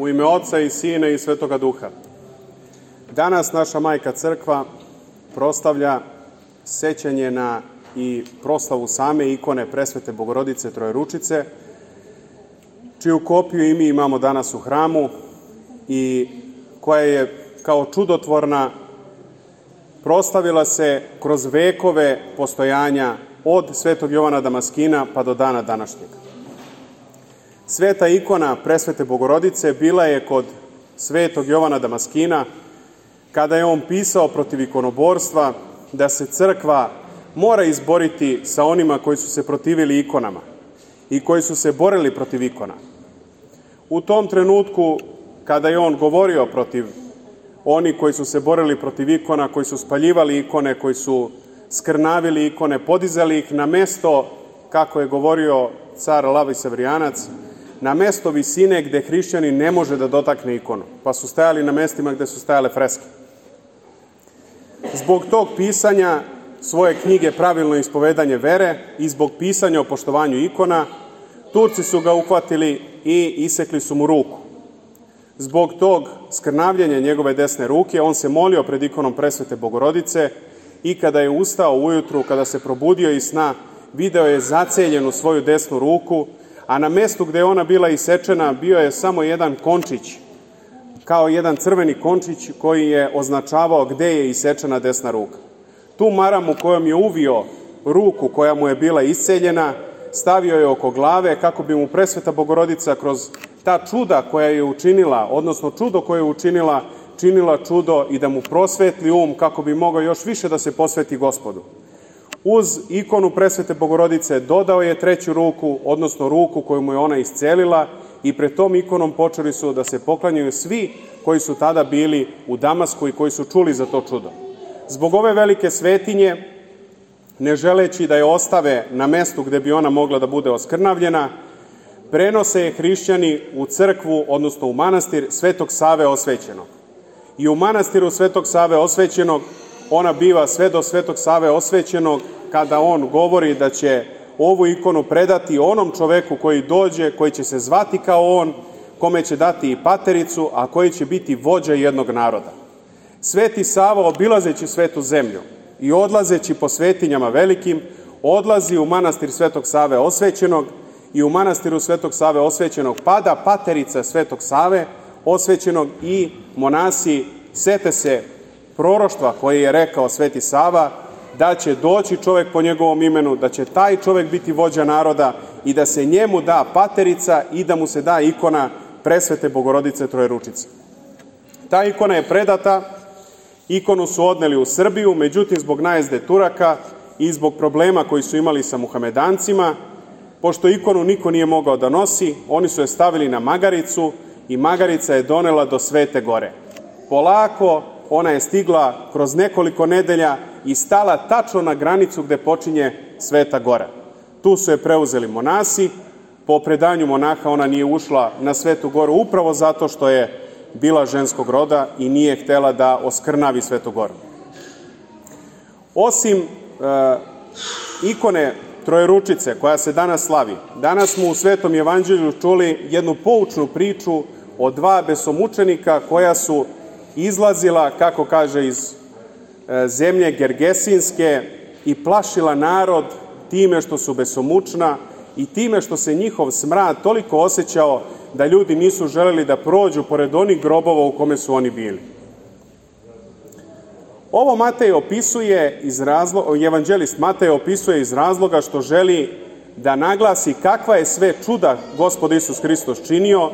U ime Oca i Sina i Svetoga Duha. Danas naša Majka Crkva proslavlja sećanje na i proslavu same ikone Presvete Bogorodice Trojeručice, čiju kopiju i mi imamo danas u hramu i koja je kao čudotvorna proslavila se kroz vekove postojanja od Svetog Jovana Damaskina pa do dana današnjeg. Sveta ikona Presvete Bogorodice bila je kod Svetog Jovana Damaskina kada je on pisao protiv ikonoborstva da se crkva mora izboriti sa onima koji su se protivili ikonama i koji su se borili protiv ikona. U tom trenutku kada je on govorio protiv oni koji su se borili protiv ikona, koji su spaljivali ikone, koji su skrnavili ikone, podizali ih na mesto, kako je govorio car Lavoj Sevrijanac, na mesto visine gde hrišćanin ne može da dotakne ikonu, pa su stajali na mestima gde su stajale freske. Zbog tog pisanja svoje knjige Pravilno ispovedanje vere i zbog pisanja o poštovanju ikona, Turci su ga uhvatili i isekli su mu ruku. Zbog tog skrnavljenja njegove desne ruke, on se molio pred ikonom Presvete Bogorodice i kada je ustao ujutru, kada se probudio iz sna, video je zaceljenu svoju desnu ruku, a na mestu gde je ona bila isečena bio je samo jedan končić, kao jedan crveni končić koji je označavao gde je isečena desna ruka. Tu maramu kojom je uvio ruku koja mu je bila isceljena, stavio je oko glave kako bi mu Presveta Bogorodica kroz ta čuda koja je učinila, odnosno čudo koje je učinila, činila čudo i da mu prosvetli kako bi mogao još više da se posveti Gospodu. Uz ikonu Presvete Bogorodice dodao je treću ruku, odnosno ruku koju mu je ona iscelila i pred tom ikonom počeli su da se poklanjaju svi koji su tada bili u Damasku i koji su čuli za to čudo. Zbog ove velike svetinje, ne želeći da je ostave na mestu gde bi ona mogla da bude oskrnavljena, prenose je hrišćani u crkvu, odnosno u manastir Svetog Save Osvećenog. I u manastiru Svetog Save Osvećenog ona biva sve do Svetog Save Osvećenog kada on govori da će ovu ikonu predati onom čoveku koji dođe, koji će se zvati kao on, kome će dati i patericu, a koji će biti vođa jednog naroda. Sveti Sava, obilazeći svetu zemlju i odlazeći po svetinjama velikim, odlazi u manastir Svetog Save Osvećenog i u manastiru Svetog Save Osvećenog pada paterica Svetog Save Osvećenog i monasi sete se proroštva koje je rekao Sveti Sava, da će doći čovek po njegovom imenu, da će taj čovek biti vođa naroda i da se njemu da paterica i da mu se da ikona Presvete Bogorodice Trojeručice. Ta ikona je predata, ikonu su odneli u Srbiju, međutim zbog najezde Turaka i zbog problema koji su imali sa muhamedancima, pošto ikonu niko nije mogao da nosi, oni su je stavili na magaricu i magarica je donela do Svete Gore. Polako ona je stigla kroz nekoliko nedelja i stala tačno na granicu gde počinje Sveta Gora. Tu su je preuzeli monasi. Po predanju monaha ona nije ušla na Svetu Goru upravo zato što je bila ženskog roda i nije htela da oskrnavi Svetu Goru. Osim ikone Trojeručice koja se danas slavi, danas smo u Svetom evanđelju čuli jednu poučnu priču o dva besomučenika koja su izlazila, kako kaže, iz zemlje Gergesinske i plašila narod time što su besomučna i time što se njihov smrad toliko osjećao da ljudi nisu želeli da prođu pored onih grobova u kome su oni bili. Ovo Matej opisuje evanđelist Matej opisuje iz razloga što želi da naglasi kakva je sve čuda Gospod Isus Hristos činio,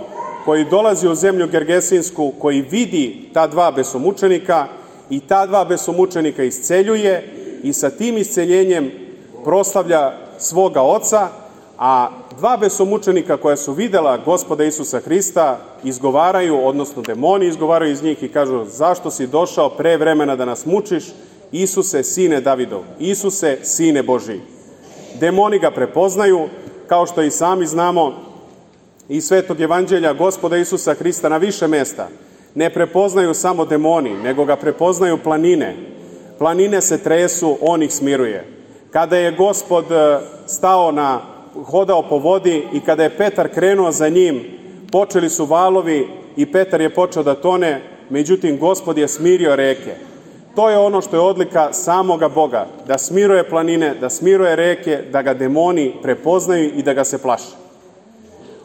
koji dolazi u zemlju Gergesinsku, koji vidi ta dva besomučenika i ta dva besomučenika isceljuje i sa tim isceljenjem proslavlja svoga Oca, a dva besomučenika koja su videla Gospoda Isusa Hrista izgovaraju, odnosno demoni izgovaraju iz njih i kažu: zašto si došao pre vremena da nas mučiš, Isuse, sine Davidov, Isuse, sine Božiji. Demoni ga prepoznaju, kao što i sami znamo iz Svetog evanđelja Gospoda Isusa Hrista na više mesta. Ne prepoznaju samo demoni, nego ga prepoznaju planine. Planine se tresu, on ih smiruje. Kada je Gospod hodao po vodi i kada je Petar krenuo za njim, počeli su valovi i Petar je počeo da tone, međutim Gospod je smirio reke. To je ono što je odlika samoga Boga, da smiruje planine, da smiruje reke, da ga demoni prepoznaju i da ga se plaše.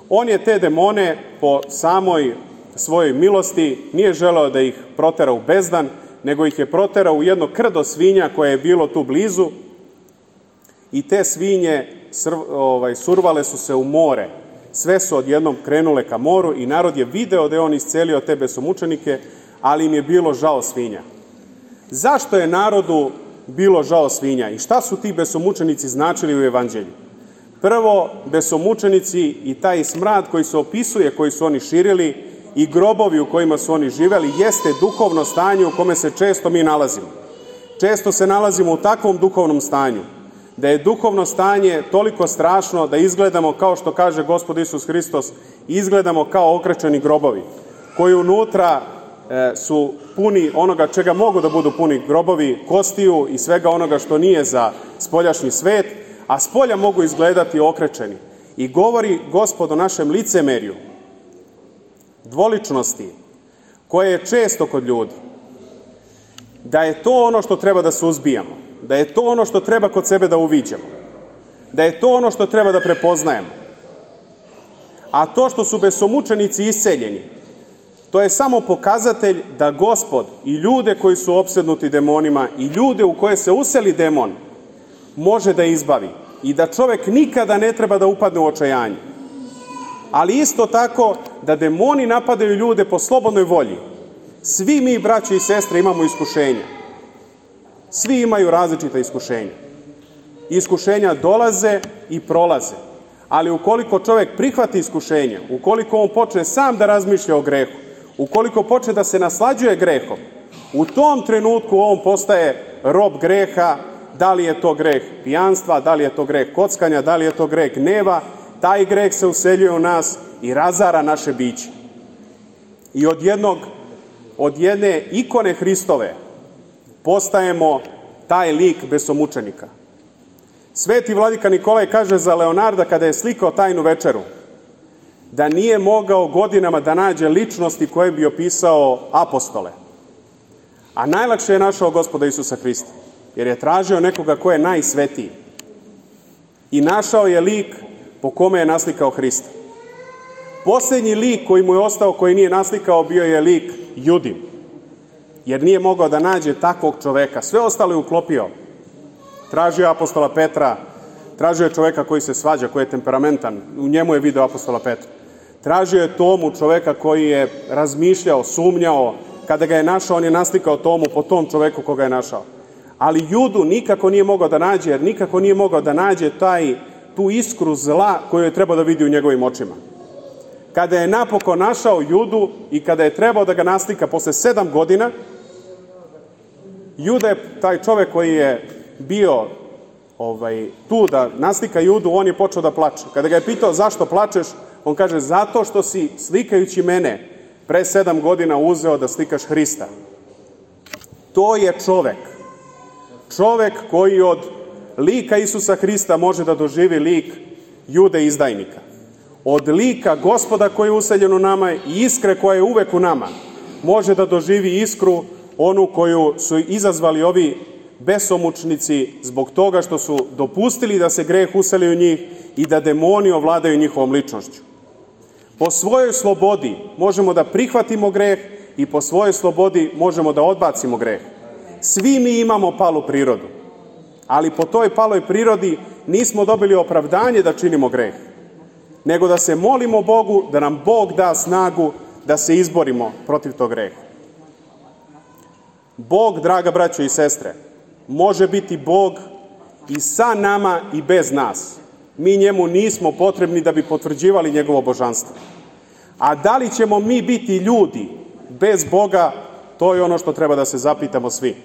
On je te demone po samoj svojoj milosti nije želeo da ih protera u bezdan, nego ih je proterao u jedno krdo svinja koje je bilo tu blizu i te svinje survale su se u more. Sve su odjednom krenule ka moru i narod je video da je on iscelio te besomučenike, ali im je bilo žao svinja. Zašto je narodu bilo žao svinja i šta su ti besomučenici značili u evanđelju? Prvo, besomučenici i taj smrad koji se opisuje, koji su oni širili i grobovi u kojima su oni živeli, jeste duhovno stanje u kome se često mi nalazimo. Često se nalazimo u takvom duhovnom stanju, da je duhovno stanje toliko strašno da izgledamo, kao što kaže Gospod Isus Hristos, izgledamo kao okrečeni grobovi, koji unutra su puni onoga čega mogu da budu puni grobovi, kostiju i svega onoga što nije za spoljašnji svet, a spolja mogu izgledati okrečeni. I govori Gospod o našem licemerju, dvoličnosti, koje je često kod ljudi. Da je to ono što treba da suzbijamo, da je to ono što treba kod sebe da uviđamo, da je to ono što treba da prepoznajemo. A to što su besomučenici isceljeni, to je samo pokazatelj da Gospod i ljude koji su opsednuti demonima i ljude u koje se useli demon može da izbavi i da čovek nikada ne treba da upadne u očajanje. Ali isto tako da demoni napadaju ljude po slobodnoj volji. Svi mi, braće i sestre, imamo iskušenja. Svi imaju različita iskušenja. Iskušenja dolaze i prolaze. Ali ukoliko čovek prihvati iskušenje, ukoliko on počne sam da razmišlja o grehu, ukoliko počne da se naslađuje grehom, u tom trenutku on postaje rob greha, da li je to greh pijanstva, da li je to greh kockanja, da li je to greh gneva, taj greh se useljuje u nas i razara naše biće. I od jedne ikone Hristove postajemo taj lik besomučenika. Sveti vladika Nikolaj kaže za Leonarda kada je slikao Tajnu večeru, da nije mogao godinama da nađe ličnosti koje bi opisao apostole. A najlakše je našao Gospoda Isusa Hrista, jer je tražio nekoga ko je najsvetiji. I našao je lik po kome je naslikao Hrista. Posljednji lik koji mu je ostao, koji nije naslikao, bio je lik Judin, jer nije mogao da nađe takvog čoveka. Sve ostalo je uklopio. Tražio apostola Petra, tražio je čoveka koji se svađa, koji je temperamentan, u njemu je video apostola Petra. Tražio je Tomu, čoveka koji je razmišljao, sumnjao, kada ga je našao, on je naslikao Tomu po tom čoveku koga je našao. Ali Judu nikako nije mogao da nađe, jer nikako nije mogao da nađe tu iskru zla koju je trebao da vidi u njegovim očima. Kada je napokon našao Judu i kada je trebao da ga naslika posle 7 godina, Juda je taj čovek koji je bio tu da naslika Judu, on je počeo da plače. Kada ga je pitao zašto plačeš, on kaže zato što si slikajući mene pre 7 godina uzeo da slikaš Hrista. To je čovek. Čovek koji od lika Isusa Hrista može da doživi lik Jude izdajnika. Od lika Gospoda koji je useljen u nama i iskre koja je uvek u nama, može da doživi iskru onu koju su izazvali ovi besomučnici zbog toga što su dopustili da se greh useli u njih i da demoni ovladaju njihovom ličnošću. Po svojoj slobodi možemo da prihvatimo greh i po svojoj slobodi možemo da odbacimo greh. Svi mi imamo palu prirodu, ali po toj paloj prirodi nismo dobili opravdanje da činimo greh, nego da se molimo Bogu da nam Bog da snagu da se izborimo protiv tog greha. Bog, draga braćo i sestre, može biti Bog i sa nama i bez nas. Mi njemu nismo potrebni da bi potvrđivali njegovo božanstvo. A da li ćemo mi biti ljudi bez Boga, to je ono što treba da se zapitamo svi.